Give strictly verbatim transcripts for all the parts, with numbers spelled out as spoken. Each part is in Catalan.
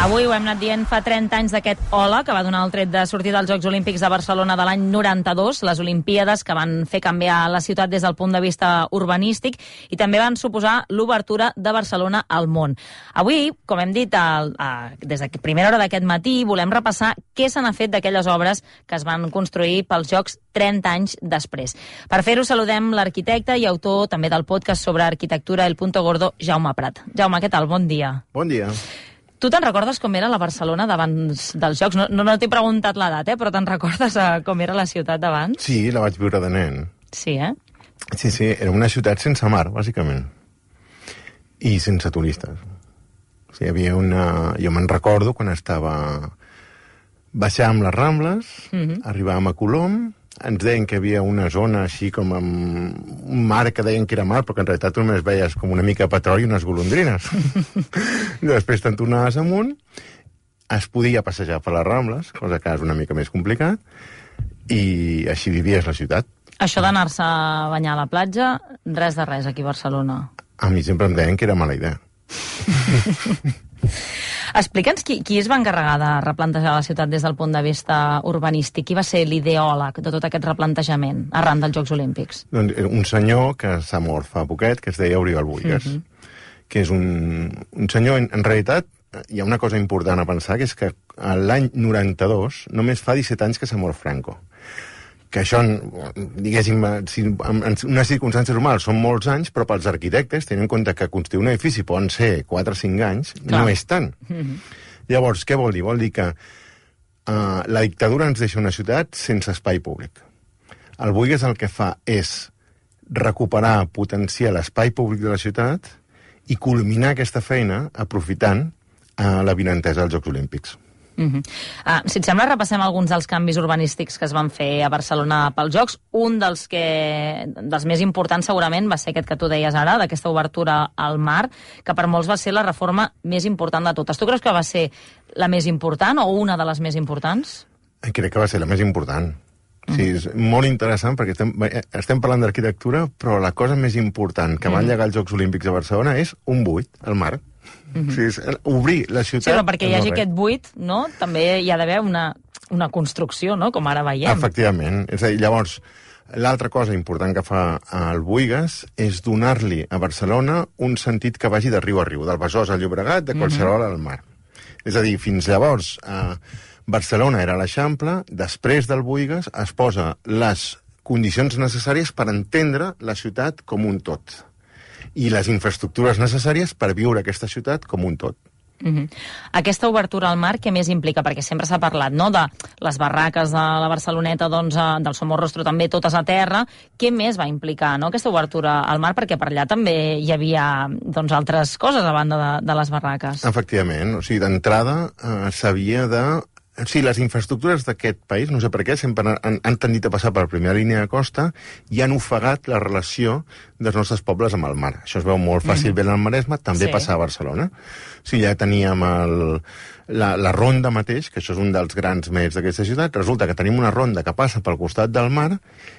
Avui ho hem anat dient fa trenta anys d'aquest Hola, que va donar el tret de sortir dels Jocs Olímpics de Barcelona de l'any noranta-dos, les Olimpíades que van fer canviar la ciutat des del punt de vista urbanístic i també van suposar l'obertura de Barcelona al món. Avui, com hem dit al, a, des de primera hora d'aquest matí, volem repassar què se n'ha fet d'aquelles obres que es van construir pels Jocs trenta anys després. Per fer-ho saludem l'arquitecte i autor també del podcast sobre arquitectura El Punto Gordo, Jaume Prat. Jaume, què tal? Bon dia. Bon dia. Tu te'n recordes com era la Barcelona d'abans dels Jocs? No, no, no t'he preguntat l'edat, eh? Però te'n recordes eh, com era la ciutat d'abans? Sí, la vaig viure de nen. Sí, eh? Sí, sí, era una ciutat sense mar, bàsicament. I sense turistes. O sigui, hi havia una... Jo me'n recordo quan estava... Baixàvem les Rambles, mm-hmm. arribàvem a Colom, ens deien que hi havia una zona així com amb un mar que deien que era mar, però que en realitat només veies com una mica de petroli i unes golondrines. Després te'n tornaves amunt, es podia passejar per les Rambles, cosa que és una mica més complicat, i així vivies la ciutat. Això d'anar-se a banyar a la platja, res de res aquí a Barcelona. A mi sempre em deien que era mala idea. Explica'ns qui, qui es va encarregar de replantejar la ciutat des del punt de vista urbanístic. Qui va ser l'ideòleg de tot aquest replantejament arran dels Jocs Olímpics? Doncs un senyor que s'ha mort fa poquet, que es deia Oriol Buigas, mm-hmm. que és un, un senyor, en, en realitat, hi ha una cosa important a pensar, que és que l'any noranta-dos només fa disset anys que s'ha mort Franco. Que això, diguéssim, si, en unes circumstàncies normals són molts anys, però pels arquitectes, tenint en compte que construir un edifici poden ser quatre o cinc anys, Clar. no és tant. Mm-hmm. Llavors, què vol dir? Vol dir que uh, la dictadura ens deixa una ciutat sense espai públic. El Buigas el que fa és recuperar, potenciar l'espai públic de la ciutat i culminar aquesta feina aprofitant uh, la vinentesa dels Jocs Olímpics. Uh-huh. Uh, si et sembla, repassem alguns dels canvis urbanístics que es van fer a Barcelona pels Jocs. Un dels, que, dels més importants segurament va ser aquest que tu deies ara, d'aquesta obertura al mar, que per molts va ser la reforma més important de totes. Tu creus que va ser la més important o una de les més importants? Crec que va ser la més important. Uh-huh. Sí, és molt interessant perquè estem, estem parlant d'arquitectura, però la cosa més important que van uh-huh. llegar els Jocs Olímpics a Barcelona és un buit, el mar. Mm-hmm. O sigui, és obrir la ciutat... Sí, però perquè hi hagi aquest buit, no? També hi ha d'haver una, una construcció, no? Com ara veiem. Efectivament. És a dir, llavors, l'altra cosa important que fa el Buigas és donar-li a Barcelona un sentit que vagi de riu a riu, del Besòs al Llobregat, de qualsevol mm-hmm. al mar. És a dir, fins llavors, eh, Barcelona era l'Eixample, després del Buigas es posa les condicions necessàries per entendre la ciutat com un tot. I les infraestructures necessàries per viure aquesta ciutat com un tot. Uh-huh. Aquesta obertura al mar, què més implica? Perquè sempre s'ha parlat, no?, de les barraques de la Barceloneta, doncs, del Somorrostro també, totes a terra. Què més va implicar, no?, aquesta obertura al mar? Perquè per allà també hi havia, doncs, altres coses a banda de, de les barraques. Efectivament. O sigui, d'entrada eh, s'havia de... Sí, les infraestructures d'aquest país, no sé per què, sempre han, han tendit a passar per la primera línia de costa i han ofegat la relació dels nostres pobles amb el mar. Això es veu molt fàcilment mm. al Maresme, també sí. passa a Barcelona. O sigui, ja teníem el, la, la ronda mateix, que això és un dels grans mèrits d'aquesta ciutat. Resulta que tenim una ronda que passa pel costat del mar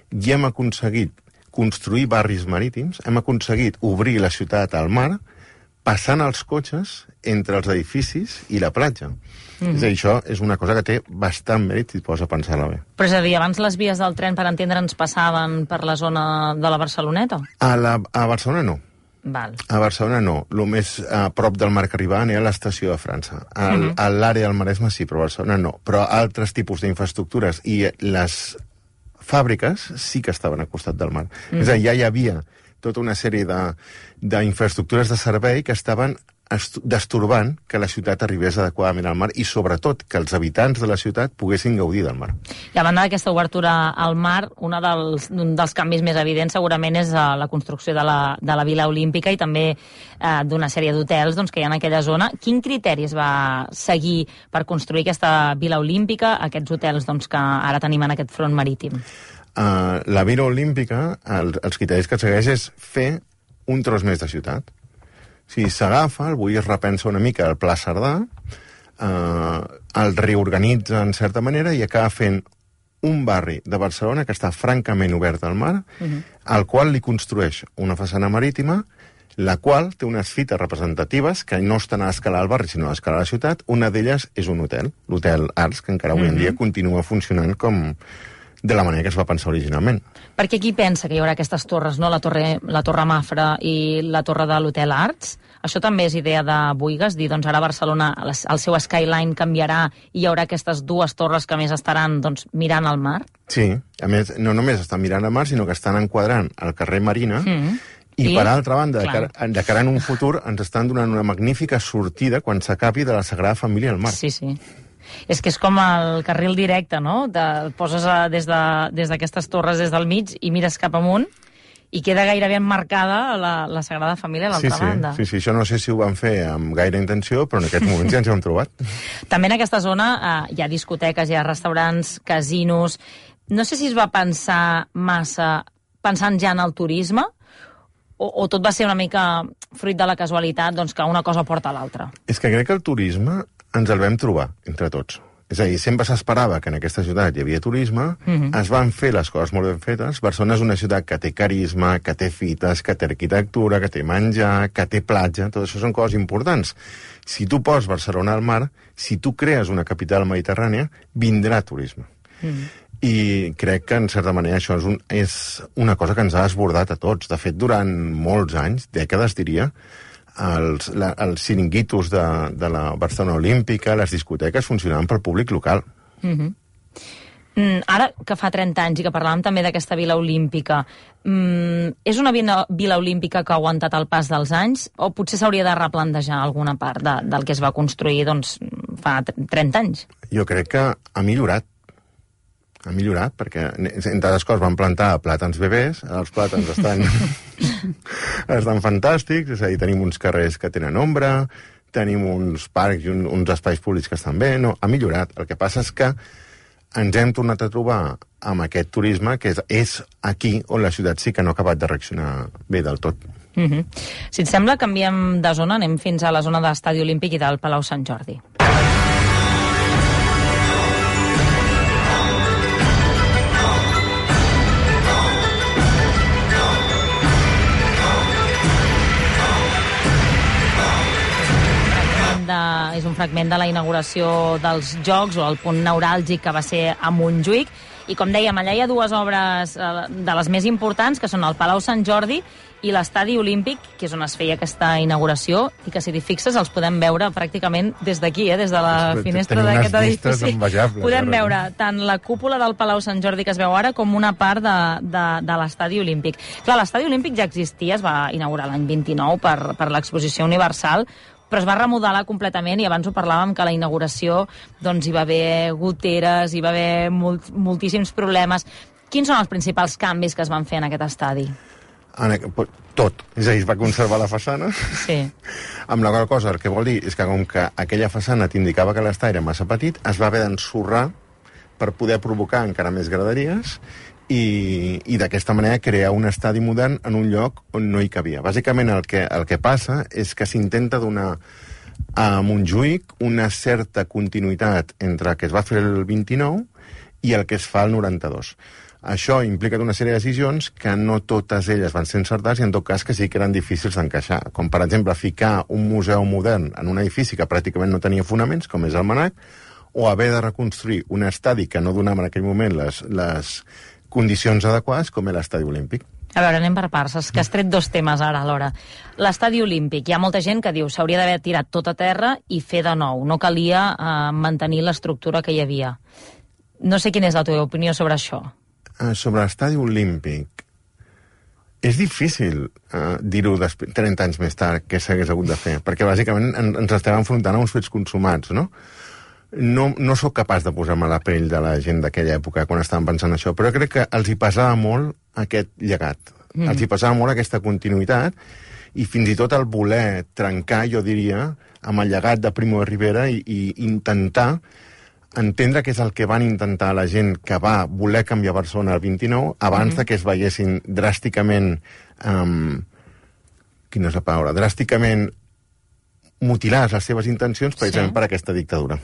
i hem aconseguit construir barris marítims, hem aconseguit obrir la ciutat al mar, passant els cotxes entre els edificis i la platja. Mm-hmm. És a dir, això és una cosa que té bastant mèrit si et poses a pensar-la bé. Però és a dir, abans les vies del tren, per entendre'ns, passaven per la zona de la Barceloneta? A, la, a Barcelona no. Val. A Barcelona no. El més a prop del mar que arribaven era l'estació de França. Al, mm-hmm. A l'àrea del Maresme sí, però a Barcelona no. Però altres tipus d'infraestructures i les fàbriques sí que estaven al costat del mar. Mm-hmm. És a dir, ja hi havia tota una sèrie d'infraestructures de, de servei que estaven destorbant que la ciutat arribés adequadament al mar i, sobretot, que els habitants de la ciutat poguessin gaudir del mar. I a banda d'aquesta obertura al mar, un dels, un dels canvis més evidents segurament és uh, la construcció de la, de la Vila Olímpica i també uh, d'una sèrie d'hotels doncs, que hi ha en aquella zona. Quin criteri es va seguir per construir aquesta Vila Olímpica, aquests hotels doncs, que ara tenim en aquest front marítim? Uh, la Vila Olímpica, el, els criteris que segueix és fer un tros més de ciutat. Si s'agafa, el Buigas repensa una mica el Pla Cerdà, eh, el reorganitza en certa manera i acaba fent un barri de Barcelona que està francament obert al mar, uh-huh. al qual li construeix una façana marítima la qual té unes fites representatives que no estan a escala del barri, sinó a escala de la ciutat. Una d'elles és un hotel, l'Hotel Arts, que encara avui en dia continua funcionant com de la manera que es va pensar originalment. Perquè qui pensa que hi haurà aquestes torres, no? La torre, la torre Mafra i la torre de l'Hotel Arts? Això també és idea de Boigas, dir, doncs ara Barcelona, el seu skyline canviarà i hi haurà aquestes dues torres que més estaran doncs, mirant al mar? Sí, a més, no només estan mirant al mar, sinó que estan enquadrant el carrer Marina, mm. i, I per altra banda, de cara, de cara en un futur, ens estan donant una magnífica sortida quan s'acabi de la Sagrada Família al mar. Sí, sí. És que és com el carril directe, no? De, poses a, des d'aquestes de, torres des del mig i mires cap amunt i queda gairebé emmarcada la, la Sagrada Família a l'altra sí, sí, banda. Sí, sí, això no sé si ho van fer amb gaire intenció, però en aquests moments ja ens ho hem trobat. També en aquesta zona eh, hi ha discoteques, hi ha restaurants, casinos. No sé si es va pensar massa pensant ja en el turisme o, o tot va ser una mica fruit de la casualitat, doncs que una cosa porta a l'altra. És que crec que el turisme ens el vam trobar entre tots. És a dir, sempre s'esperava que en aquesta ciutat hi havia turisme, uh-huh. es van fer les coses molt ben fetes. Barcelona és una ciutat que té carisma, que té fites, que té arquitectura, que té menjar, que té platja, tot això són coses importants. Si tu poses Barcelona al mar, si tu crees una capital mediterrània, vindrà turisme. Uh-huh. I crec que, en certa manera, això és, un, és una cosa que ens ha desbordat a tots. De fet, durant molts anys, dècades, diria, els, la, els xiringuitos de, de la Barcelona Olímpica, les discoteques, funcionaven pel públic local. Mm-hmm. mm, ara que fa trenta anys i que parlàvem també d'aquesta Vila Olímpica, mm, és una vila, vila olímpica que ha aguantat el pas dels anys o potser s'hauria de replantejar alguna part de, del que es va construir doncs, fa trenta anys? Jo crec que ha millorat. Ha millorat, perquè, entre altres coses, van plantar plàtans bebès, els plàtans estan, estan fantàstics, és a dir, tenim uns carrers que tenen ombra, tenim uns parcs i un, uns espais públics que estan bé, no, ha millorat. El que passa és que ens hem tornat a trobar amb aquest turisme, que és, és aquí on la ciutat sí que no ha acabat de reaccionar bé del tot. Mm-hmm. Si et sembla, canviem de zona, anem fins a la zona de l'Estadi Olímpic i del Palau Sant Jordi. És un fragment de la inauguració dels Jocs o el punt neuràlgic que va ser a Montjuïc. I com dèiem, allà hi ha dues obres de les més importants, que són el Palau Sant Jordi i l'Estadi Olímpic, que és on es feia aquesta inauguració, i que, si t'hi fixes, els podem veure pràcticament des d'aquí, eh, des de la finestra d'aquest edifici. Podem veure tant la cúpula del Palau Sant Jordi que es veu ara com una part de, de, de l'Estadi Olímpic. Clar, l'Estadi Olímpic ja existia, es va inaugurar l'any vint-i-nou per, per l'Exposició Universal, però es va remodelar completament i abans ho parlàvem que a la inauguració doncs, hi va haver goteres, hi va haver molt, moltíssims problemes. Quins són els principals canvis que es van fer en aquest estadi? En, tot. És a dir, es va conservar la façana. Sí. Amb la qual cosa, el que vol dir és que com que aquella façana t'indicava que l'estadi era massa petit, es va haver d'ensorrar per poder provocar encara més graderies i, i d'aquesta manera crear un estadi modern en un lloc on no hi cabia. Bàsicament el que, el que passa és que s'intenta donar a Montjuïc una certa continuïtat entre el que es va fer el vint-i-nou i el que es fa el noranta-dos. Això implica una sèrie de decisions que no totes elles van ser encertades i en tot cas que sí que eren difícils d'encaixar. Com per exemple ficar un museu modern en un edifici que pràcticament no tenia fonaments, com és el MNAC, o haver de reconstruir un estadi que no donava en aquell moment les... les condicions adequades com és l'Estadi Olímpic. A veure, anem per parts, és que has tret dos temes ara alhora. L'Estadi Olímpic, hi ha molta gent que diu s'hauria d'haver tirat tot a terra i fer de nou, no calia eh, mantenir l'estructura que hi havia. No sé quina és la teva opinió sobre això. Uh, sobre l'Estadi Olímpic, és difícil uh, dir-ho trenta anys més tard què s'hagués hagut de fer, perquè bàsicament en, ens estem enfrontant a uns fets consumats, no? No, no sóc capaç de posar-me a la pell de la gent d'aquella època quan estaven pensant això, però crec que els hi pesava molt aquest llegat. Mm. Els hi pesava molt aquesta continuïtat i fins i tot el voler trencar, jo diria, amb el llegat de Primo de Rivera i, i intentar entendre què és el que van intentar la gent que va voler canviar Barcelona al vint-i-nou abans mm. de que es veiessin dràsticament... Um, quina és la paraula? Dràsticament mutilades les seves intencions precisament sí. per aquesta dictadura.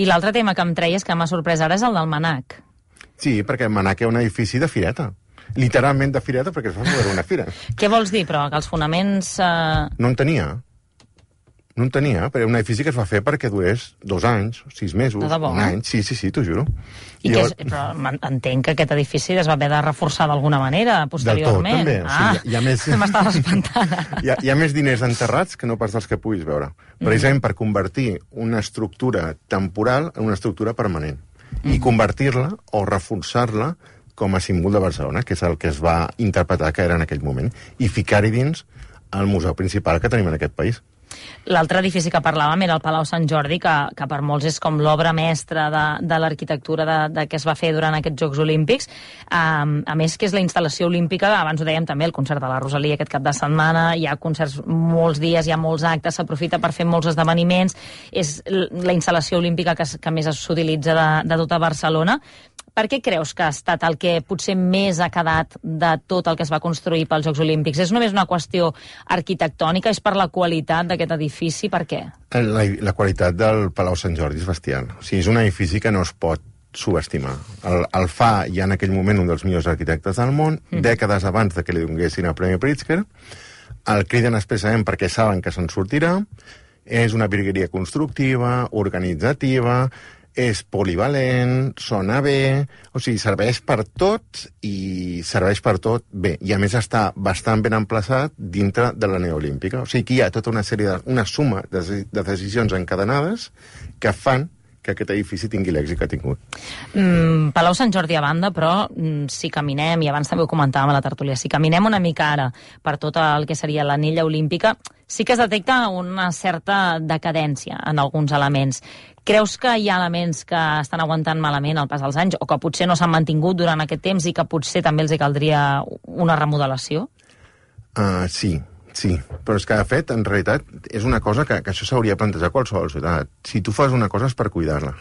I l'altre tema que em treies que m'ha sorprès ara és el del MNAC. Sí, perquè el MNAC és un edifici de fireta. literalment de fireta, perquè es va veure una fira. Què vols dir, però? Que els fonaments... Eh... No en tenia. No en tenia, però era un edifici que es va fer perquè durés dos anys, sis mesos, un any. Sí, sí, sí, t'ho juro. I, I que és, però entenc que aquest edifici es va haver de reforçar d'alguna manera, posteriorment. Del tot, també. Ah, o sigui, hi ha més... m'estava espantant. hi, ha, hi ha més diners enterrats que no pas dels que puguis veure. Precisament mm. per convertir una estructura temporal en una estructura permanent. Mm. I convertir-la o reforçar-la com a símbol de Barcelona, que és el que es va interpretar que era en aquell moment, i ficar-hi dins el museu principal que tenim en aquest país. L'altre edifici que parlàvem era el Palau Sant Jordi, que, que per molts és com l'obra mestra de, de l'arquitectura de, de que es va fer durant aquests Jocs Olímpics. Um, a més, que és la instal·lació olímpica, abans ho dèiem també, el concert de la Rosalia aquest cap de setmana, hi ha concerts molts dies, hi ha molts actes, s'aprofita per fer molts esdeveniments, és la instal·lació olímpica que, que més s'utilitza de, de tota Barcelona. Per què creus que ha estat el que potser més ha quedat de tot el que es va construir pels Jocs Olímpics? És només una qüestió arquitectònica? És per la qualitat d'aquest edifici? Per què? La, la qualitat del Palau Sant Jordi és bestial. O sigui, és un edifici que no es pot subestimar. El, el fa ja en aquell moment un dels millors arquitectes del món, mm. dècades abans de que li donguessin el Premi Pritzker. El criden expressament perquè saben que se'n sortirà. És una virgueria constructiva, organitzativa, és polivalent, sona bé, o sigui, serveix per tot i serveix per tot bé. I a més està bastant ben emplaçat dintre de l'Anella Olímpica. O sigui que hi ha tota una sèrie de, una suma de, de decisions encadenades que fan que aquest edifici tingui l'èxit que ha tingut. Mm, Palau Sant Jordi a banda, però mm, si caminem, i abans també ho comentàvem a la tertúlia, si caminem una mica ara per tot el que seria l'Anella Olímpica, sí que es detecta una certa decadència en alguns elements. Creus que hi ha elements que estan aguantant malament al pas dels anys o que potser no s'han mantingut durant aquest temps i que potser també els hi caldria una remodelació? Uh, sí, sí. Però és que, de fet, en realitat, és una cosa que, que això s'hauria de plantejar a qualsevol ciutat. Si tu fas una cosa és per cuidar-la.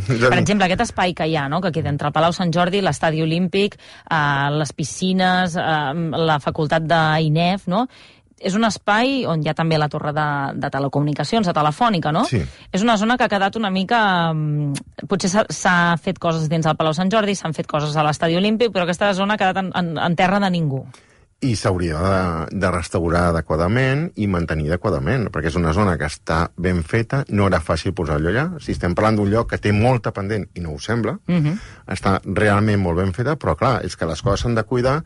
Per exemple, aquest espai que hi ha, no?, que queda entre el Palau Sant Jordi, l'Estadi Olímpic, eh, les piscines, eh, la facultat d'I N E F, no?, és un espai on hi ha també la torre de, de telecomunicacions, de Telefònica, no? Sí. És una zona que ha quedat una mica... Potser s'ha fet coses dins del Palau Sant Jordi, s'han fet coses a l'Estadi Olímpic, però aquesta zona ha quedat en, en, en terra de ningú. I s'hauria de, de restaurar adequadament i mantenir adequadament, perquè és una zona que està ben feta, no era fàcil posar-lo allà. Si estem parlant d'un lloc que té molta pendent, i no ho sembla, uh -huh. està realment molt ben feta, però clar, és que les coses s'han de cuidar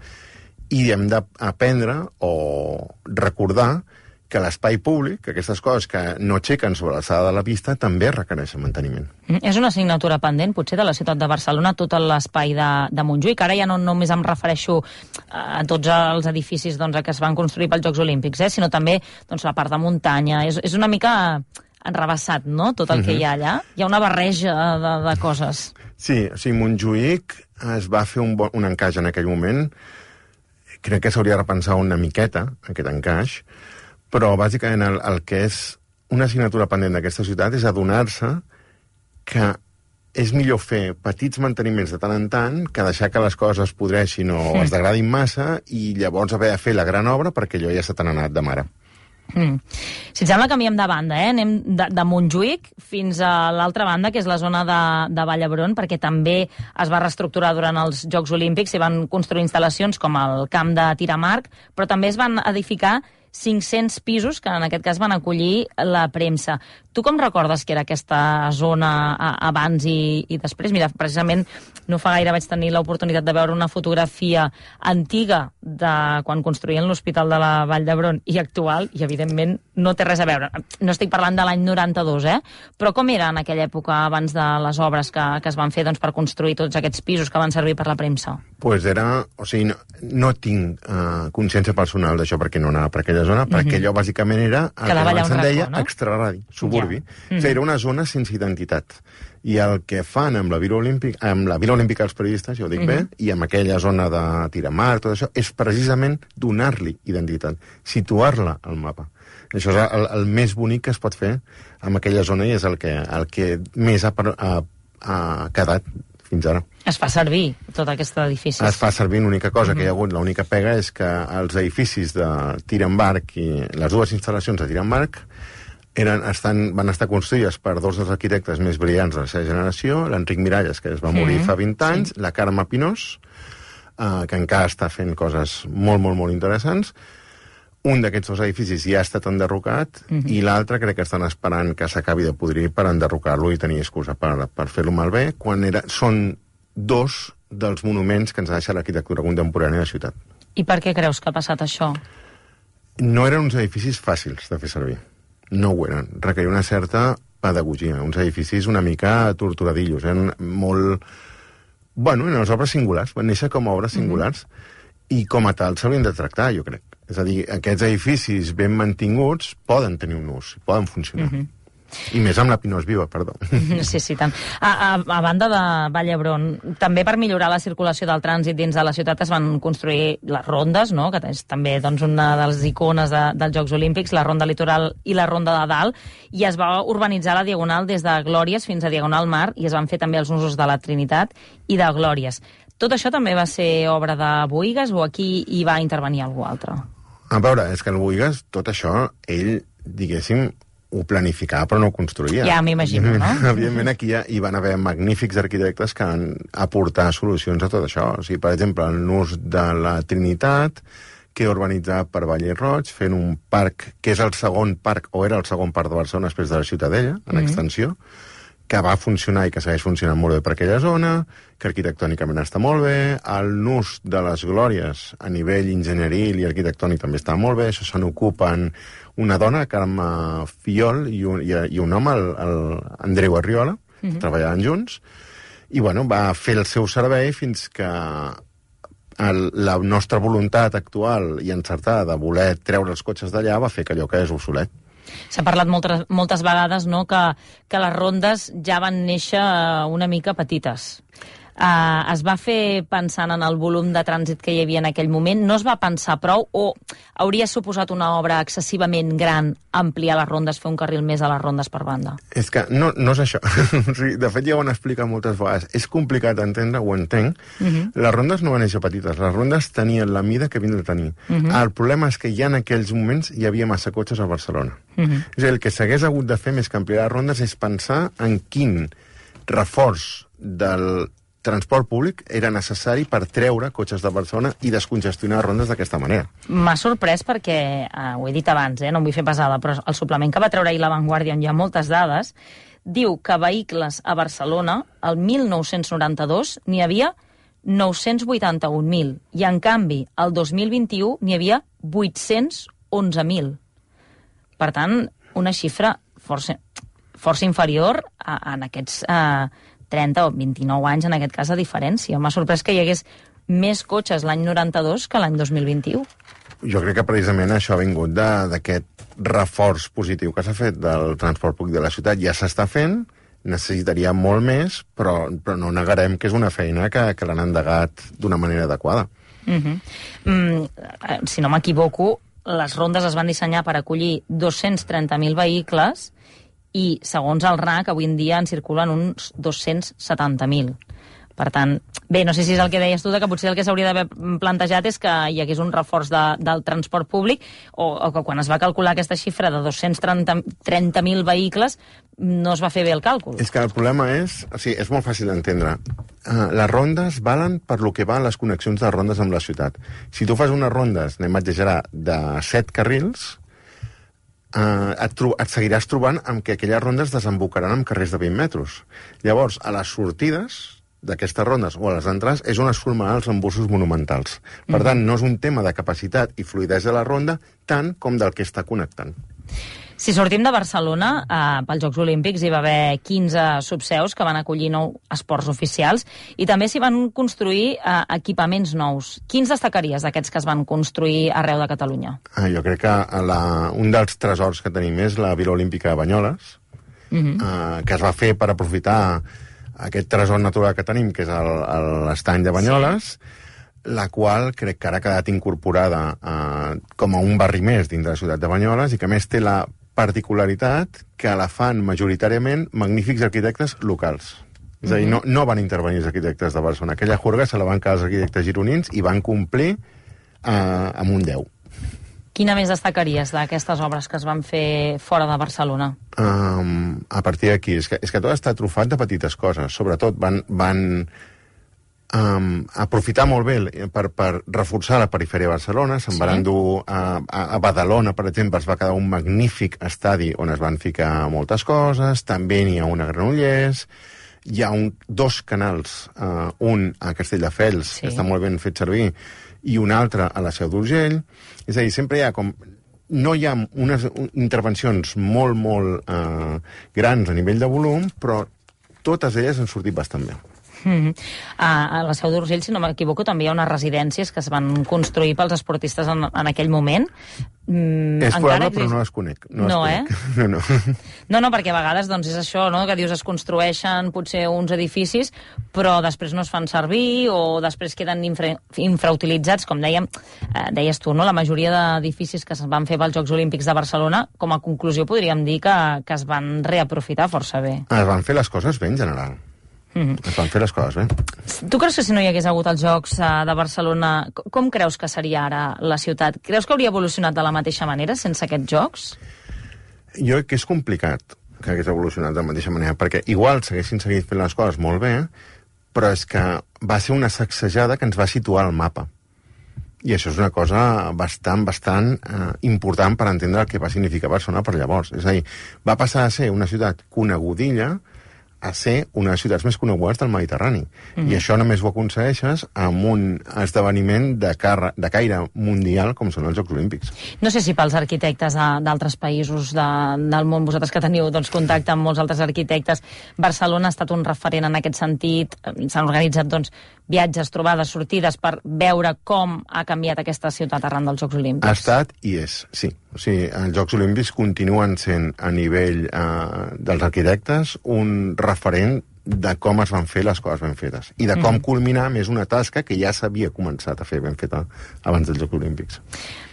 i hem d'aprendre o recordar que l'espai públic, que aquestes coses que no aixequen sobre l'alçada de la pista, també requereixen manteniment. Mm, és una assignatura pendent, potser, de la ciutat de Barcelona, tot l'espai de, de Montjuïc. Ara ja no només em refereixo a tots els edificis doncs, que es van construir pels Jocs Olímpics, eh, sinó també doncs, la part de muntanya. És, és una mica enrabassat, no?, tot el uh-huh. que hi ha allà. Hi ha una barreja de, de coses. Sí, o sigui, Montjuïc es va fer un, bon, un encaix en aquell moment. Crec que s'hauria de repensar una miqueta, aquest encaix, però bàsicament el, el que és una assignatura pendent d'aquesta ciutat és adonar-se que és millor fer petits manteniments de tant en tant que deixar que les coses es podreixin o mm. es degradin massa i llavors haver de fer la gran obra perquè allò ja s'ha tan anat de mare. Mm. Si et sembla, canviem de banda, eh? Anem de, de Montjuïc fins a l'altra banda, que és la zona de, de Vall d'Hebron, perquè també es va reestructurar durant els Jocs Olímpics i van construir instal·lacions com el camp de tir amb arc, però també es van edificar cinc-cents pisos que en aquest cas van acollir la premsa. Tu com recordes que era aquesta zona abans i, i després? Mira, precisament no fa gaire vaig tenir l'oportunitat de veure una fotografia antiga de quan construïen l'Hospital de la Vall d'Hebron i actual, i evidentment no té res a veure. No estic parlant de l'any noranta-dos, eh? Però com era en aquella època abans de les obres que, que es van fer doncs, per construir tots aquests pisos que van servir per la premsa? Pues era... O sigui, no, no tinc uh, consciència personal d'això perquè no anava per aquella zona, perquè allò bàsicament era el que, que abans se'n deia no? extraradi, suburbi. Ja. Mm -hmm. Era una zona sense identitat. I el que fan amb la Vila Olímpica, amb la Vila Olímpica els periodistes, ja ho dic mm -hmm. bé, i amb aquella zona de tiramar, tot això, és precisament donar-li identitat, situar-la al mapa. Això és el, el més bonic que es pot fer amb aquella zona i és el que, el que més ha, ha, ha quedat fins ara. Es fa servir tot aquest edifici. Es fa servir, l'única cosa uh-huh. que hi ha hagut, l'única pega és que els edificis de tir amb arc i les dues instal·lacions de tir amb arc eren, estan, van estar construïdes per dos dels arquitectes més brillants de la seva generació, l'Enric Miralles, que es va morir uh-huh. fa vint anys, sí. la Carme Pinós, uh, que encara està fent coses molt, molt, molt interessants. Un d'aquests dos edificis ja ha estat enderrocat uh-huh. i l'altre crec que estan esperant que s'acabi de podrir per enderrocar-lo i tenir excusa per, per fer-lo malbé, quan era, són dos dels monuments que ens ha deixat l'arquitectura contemporània de la ciutat. I per què creus que ha passat això? No eren uns edificis fàcils de fer servir. No ho eren. Requeria una certa pedagogia. Uns edificis una mica torturadillos. Eren molt... Bueno, eren les obres singulars. Van néixer com a obres singulars mm-hmm. i com a tal s'haurien de tractar, jo crec. És a dir, aquests edificis ben mantinguts poden tenir un ús, poden funcionar. Mm-hmm. I més amb la Pinós Viva, perdó. Sí, sí, tant. A, a, a banda de Vall d'Hebron, també per millorar la circulació del trànsit dins de la ciutat es van construir les rondes, no?, que és també doncs, una de les icones de, dels Jocs Olímpics, la Ronda Litoral i la Ronda de Dalt, i es va urbanitzar la Diagonal des de Glòries fins a Diagonal Mar, i es van fer també els usos de la Trinitat i de Glòries. Tot això també va ser obra de Bohigas o aquí hi va intervenir algú altre? A veure, és que el Bohigas, tot això, ell, diguéssim, ho planificava però no ho construïa. Ja m'imagino, no? Evidentment aquí ja hi van haver magnífics arquitectes que van aportar solucions a tot això. O sigui, per exemple, el nus de la Trinitat, que urbanitzat per Valle Roig, fent un parc, que és el segon parc, o era el segon parc de Barcelona després de la Ciutadella, en mm-hmm. extensió, que va funcionar i que segueix funcionant molt bé per aquella zona, que arquitectònicament està molt bé, el nus de les Glòries a nivell enginyeril i arquitectònic també està molt bé, això se n'ocupen una dona, Carme Fiol, i un, i, i un home, el, el Andreu Arriola, mm-hmm. treballaven junts, i bueno, va fer el seu servei fins que el, la nostra voluntat actual i encertada de voler treure els cotxes d'allà va fer que allò quedés obsolet. S'ha parlat moltes, moltes vegades, no?, que, que les rondes ja van néixer una mica petites. Uh, es va fer pensant en el volum de trànsit que hi havia en aquell moment? No es va pensar prou? O hauria suposat una obra excessivament gran ampliar les rondes, fer un carril més a les rondes per banda? És que no, no és això. De fet, ja ho han explicat moltes vegades. És complicat d'entendre, ho entenc. Uh-huh. Les rondes no van néixer petites. Les rondes tenien la mida que havien de tenir. Uh-huh. El problema és que ja en aquells moments hi havia massa cotxes a Barcelona. Uh-huh. És a dir, el que s'hagués hagut de fer més que ampliar les rondes és pensar en quin reforç del transport públic era necessari per treure cotxes de Barcelona i descongestionar rondes d'aquesta manera. M'ha sorprès perquè, eh, ho he dit abans, eh, no em vull fer pesada, però el suplement que va treure ahir La Vanguardia, on hi ha moltes dades, diu que vehicles a Barcelona, el mil nou-cents noranta-dos, n'hi havia nou-cents vuitanta-un mil, i en canvi, el dos mil vint-i-u n'hi havia vuit-cents onze mil. Per tant, una xifra força, força inferior a, a en aquests eh, trenta o vint-i-nou anys, en aquest cas, de diferència. M'ha sorprès que hi hagués més cotxes l'any noranta-dos que l'any dos mil vint-i-u. Jo crec que precisament això ha vingut d'aquest reforç positiu que s'ha fet del transport públic de la ciutat. Ja s'està fent, necessitaria molt més, però, però no negarem que és una feina que, que l'han endegat d'una manera adequada. Uh-huh. mm, si no m'equivoco, les rondes es van dissenyar per acollir dos-cents trenta mil vehicles i, segons el R A C, avui en dia en circulen uns dos-cents setanta mil. Per tant, bé, no sé si és el que deies tu, que potser el que s'hauria d'haver plantejat és que hi hagués un reforç de, del transport públic, o, o que quan es va calcular aquesta xifra de dos-cents trenta mil vehicles no es va fer bé el càlcul. És que el problema és... O sigui, és molt fàcil d'entendre. Uh, les rondes valen per lo que valen les connexions de rondes amb la ciutat. Si tu fas unes rondes, anem a exagerar, de set carrils, uh, et, tro et seguiràs trobant amb que aquelles rondes desembocaran en carrers de vint metres. Llavors, a les sortides d'aquestes rondes o a les entrades és on es formaran els embussos monumentals. Per tant, no és un tema de capacitat i fluïdesa de la ronda tant com del que està connectant. Si sortim de Barcelona, eh, pels Jocs Olímpics hi va haver quinze subseus que van acollir nou esports oficials i també s'hi van construir eh, equipaments nous. Quins destacaries d'aquests que es van construir arreu de Catalunya? Ah, jo crec que la, un dels tresors que tenim és la Vila Olímpica de Banyoles, uh-huh. eh, que es va fer per aprofitar aquest tresor natural que tenim, que és l'estany de Banyoles, sí. La qual crec que ara ha quedat incorporada eh, com a un barri més dins de la ciutat de Banyoles i que a més té la particularitat que la fan majoritàriament magnífics arquitectes locals. És a dir, no, no van intervenir els arquitectes de Barcelona. Aquella juerga se la van quedar els arquitectes gironins i van complir eh, amb un deu. Quina més destacaries d'aquestes obres que es van fer fora de Barcelona? Um, a partir d'aquí, és que, és que tot està trufat de petites coses. Sobretot van, van um, aprofitar molt bé per, per reforçar la perifèria de Barcelona. Se'n sí. van endur a, a, a Badalona, per exemple, es va quedar un magnífic estadi on es van ficar moltes coses, també n'hi ha una a Granollers, hi ha un, dos canals, uh, un a Castelldefels, sí. que està molt ben fet servir, i un altre a la Seu d'Urgell. És a dir, sempre hi ha com... No hi ha unes intervencions molt, molt uh, grans a nivell de volum, però totes elles han sortit bastant bé. Mm-hmm. A la Seu d'Urgell, si no m'equivoco, també hi ha unes residències que es van construir pels esportistes en, en aquell moment. Mm, és probable, exist... però no les conec. No, no les eh? conec. No, no. no, no, perquè a vegades doncs, és això, no? Que dius es construeixen potser uns edificis, però després no es fan servir o després queden infra... infrautilitzats, com dèiem, eh, deies tu, no? La majoria d'edificis que es van fer pels Jocs Olímpics de Barcelona, com a conclusió podríem dir que, que es van reaprofitar força bé. Es van fer les coses bé, en general. Mm-hmm. Es van fer les coses bé. Tu creus que si no hi hagués hagut els Jocs uh, de Barcelona, com creus que seria ara la ciutat? Creus que hauria evolucionat de la mateixa manera sense aquests Jocs? Jo crec que és complicat que hagués evolucionat de la mateixa manera, perquè igual s'haguessin seguit fent les coses molt bé, però és que va ser una sacsejada que ens va situar al mapa. I això és una cosa bastant, bastant eh, important per entendre el que va significar Barcelona per llavors. És a dir, va passar a ser una ciutat conegudilla a ser una de les ciutats més conegudes del Mediterrani. Mm-hmm. I això només ho aconsegueixes amb un esdeveniment de, carre, de caire mundial com són els Jocs Olímpics. No sé si pels arquitectes d'altres països de, del món, vosaltres que teniu doncs, contacte amb molts altres arquitectes, Barcelona ha estat un referent en aquest sentit. S'han organitzat doncs, viatges, trobades, sortides per veure com ha canviat aquesta ciutat arran dels Jocs Olímpics. Ha estat i és, sí. O sigui, els Jocs Olímpics continuen sent a nivell eh, dels arquitectes un referent de com es van fer les coses ben fetes i de com mm. culminar més una tasca que ja s'havia començat a fer ben feta abans dels Jocs Olímpics.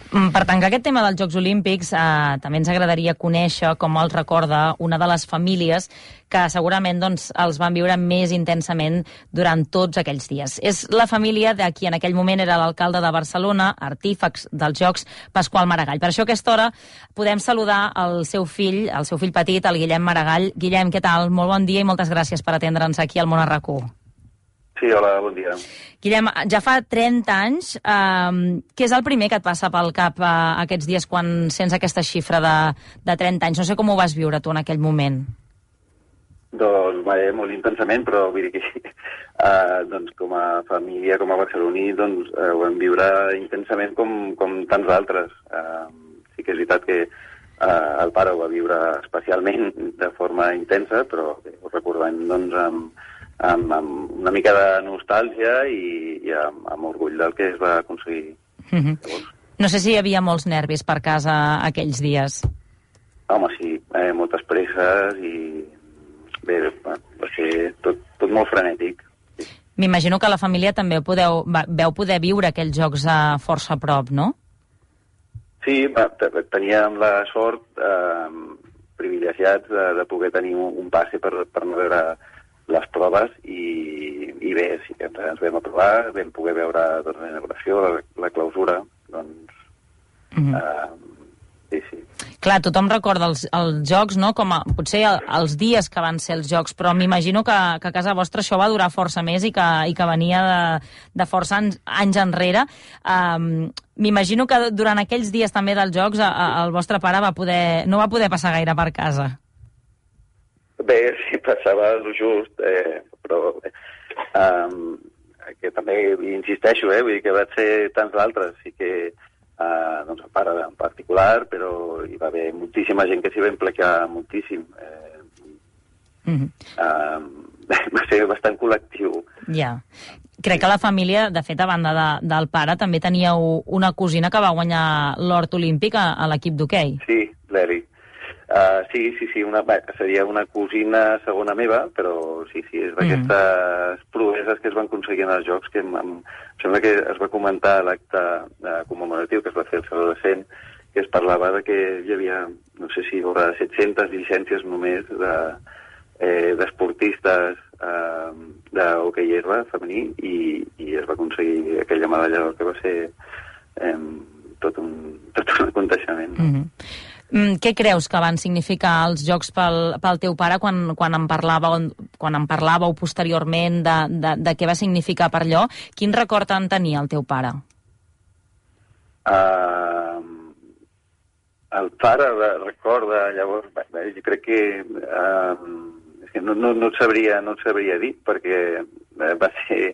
Per tancar aquest tema dels Jocs Olímpics, eh, també ens agradaria conèixer com els recorda una de les famílies que segurament doncs, els van viure més intensament durant tots aquells dies. És la família de qui en aquell moment era l'alcalde de Barcelona, artífex dels Jocs, Pasqual Maragall. Per això a aquesta hora podem saludar el seu fill, el seu fill petit, el Guillem Maragall. Guillem, què tal? Molt bon dia i moltes gràcies per atendre'ns aquí al Món a RAC u. Sí, hola, bon dia. Guillem, ja fa trenta anys, eh, què és el primer que et passa pel cap eh, aquests dies quan sents aquesta xifra de, de trenta anys? No sé com ho vas viure tu en aquell moment. Doncs, bé, molt intensament, però vull dir que eh, doncs, com a família, com a barceloní, doncs, eh, ho vam viure intensament com, com tants altres. Eh, sí que és veritat que eh, el pare ho va viure especialment de forma intensa, però bé, ho recordem doncs, amb, amb, amb una mica de nostàlgia i, i amb, amb orgull del que es va aconseguir. Mm-hmm. No sé si hi havia molts nervis per casa aquells dies. Home, sí, eh, moltes presses i bé, va ser tot, tot molt frenètic. Sí. M'imagino que la família també podeu, va, veu poder viure aquells jocs a força a prop, no? Sí, va, teníem la sort eh, privilegiats de, de poder tenir un, un passe per, per no veure les proves i, i bé, sí que ens, ens vam aprovar, vam poder veure doncs, la inauguració, la, la clausura, doncs... Mm-hmm. eh, sí, sí. Clar, tothom recorda els, els jocs, no?, com a, potser el, els dies que van ser els jocs, però m'imagino que, que a casa vostra això va durar força més i que, i que venia de, de força anys, anys enrere. Um, m'imagino que durant aquells dies també dels jocs a, a, el vostre pare va poder, no va poder passar gaire per casa. Bé, sí, passava el just, eh, però um, que també insisteixo, eh, vull dir que va ser tants d'altres, sí que Uh, doncs el pare en particular, però hi va haver moltíssima gent que s'hi va implicar moltíssim. Eh, mm-hmm. uh, va ser bastant col·lectiu. Ja. Crec que la família, de fet, a banda de, del pare, també teníeu una cosina que va guanyar l'hort olímpic a, a l'equip d'hoquei. Sí, l'Eli. Uh, sí, sí, sí, una, bé, seria una cosina segona meva, però sí, sí, és d'aquestes mm. proeses que es van aconseguir en els Jocs, que em, em sembla que es va comentar a l'acte uh, commemoratiu que es va fer el Saló de Cent, que es parlava de que hi havia, no sé si hi haurà set-centes llicències només de, eh, d'esportistes eh, d'hoquei herba femení i, i es va aconseguir aquella medalla d'or que va ser eh, tot, un, tot un aconteixement. No? Mm-hmm. Mm, què creus que van significar els Jocs pel, pel teu pare quan, quan, en parlàveu, quan en parlàveu posteriorment de, de, de què va significar per allò? Quin record en tenia el teu pare? Uh, el pare recorda, llavors, bé, jo crec que, uh, és que no, no, no, et sabria, no et sabria dir, perquè va ser...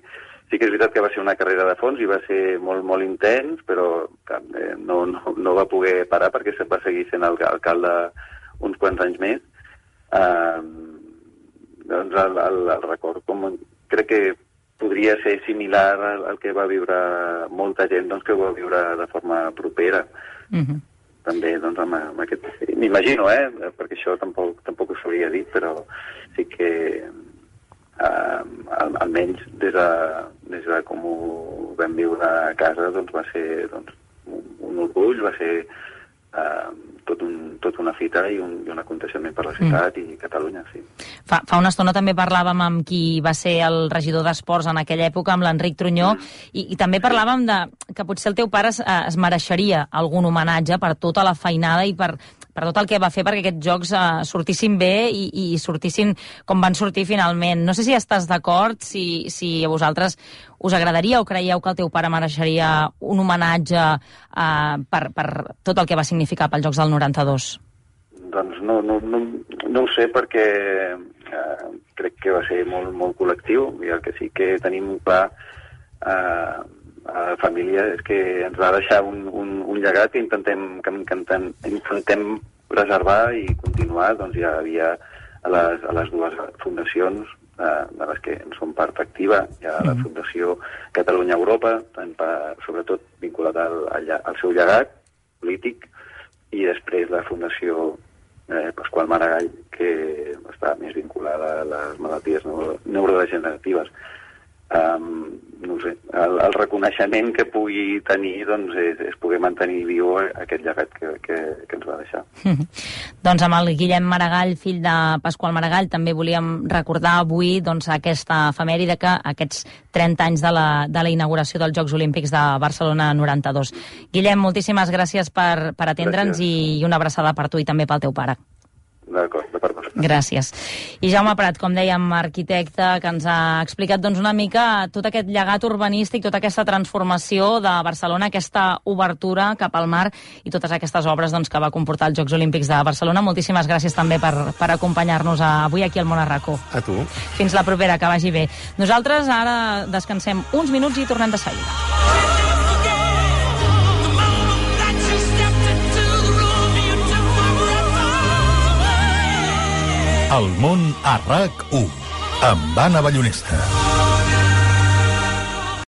Sí que és veritat que va ser una carrera de fons i va ser molt, molt intens, però eh, no, no, no va poder parar perquè se va seguir sent el, alcalde uns quants anys més. Uh, doncs el, el, el record, com, crec que podria ser similar al, al que va viure molta gent doncs, que ho va viure de forma propera. Mm-hmm. També, doncs, amb, amb aquest... M'imagino, eh? Perquè això tampoc, tampoc ho sabria dir, però sí que... Uh, al, almenys des de, des de com ho vam viure a casa doncs va ser doncs, un, un orgull, va ser uh, tot, un, tot una fita i un, i un aconteixement per la ciutat mm. i Catalunya, sí. Fa, fa una estona també parlàvem amb qui va ser el regidor d'Esports en aquella època, amb l'Enric Trunyó, mm. i, i també parlàvem de que potser el teu pare es, es mereixeria algun homenatge per tota la feinada i per, per tot el que va fer perquè aquests jocs uh, sortissin bé i, i sortissin com van sortir finalment. No sé si estàs d'acord, si, si a vosaltres us agradaria o creieu que el teu pare mereixeria un homenatge uh, per, per tot el que va significar pels Jocs del noranta-dos. Doncs no, no, no, no ho sé perquè eh, crec que va ser molt, molt col·lectiu i el que sí que tenim clar eh, a la família és que ens va deixar un, un, un llegat que intentem, que intentem, intentem preservar i continuar. Doncs ja havia a les, a les dues fundacions eh, de les que en som part activa. Hi ha la Fundació Catalunya-Europa, sobretot vinculat al, al, al seu llegat polític, i després la Fundació eh, Pasqual Maragall, que està més vinculada a les malalties neuro, neurodegeneratives. Um, no sé, el, el reconeixement que pugui tenir doncs, és, és poder mantenir viu aquest llegat que, que, que ens va deixar. Doncs amb el Guillem Maragall, fill de Pasqual Maragall, també volíem recordar avui doncs, aquesta efemèride que aquests trenta anys de la, de la inauguració dels Jocs Olímpics de Barcelona noranta-dos. Guillem, moltíssimes gràcies per, per atendre'ns i, i una abraçada per tu i també pel teu pare. D'acord, de part vostra. Gràcies. I Jaume Prat, com dèiem, arquitecte, que ens ha explicat doncs, una mica tot aquest llegat urbanístic, tota aquesta transformació de Barcelona, aquesta obertura cap al mar i totes aquestes obres doncs, que va comportar els Jocs Olímpics de Barcelona. Moltíssimes gràcies també per, per acompanyar-nos avui aquí al Món a RAC u. A tu. Fins la propera, que vagi bé. Nosaltres ara descansem uns minuts i tornem de seguida. El Món a RAC u, amb Anna Ballonesta.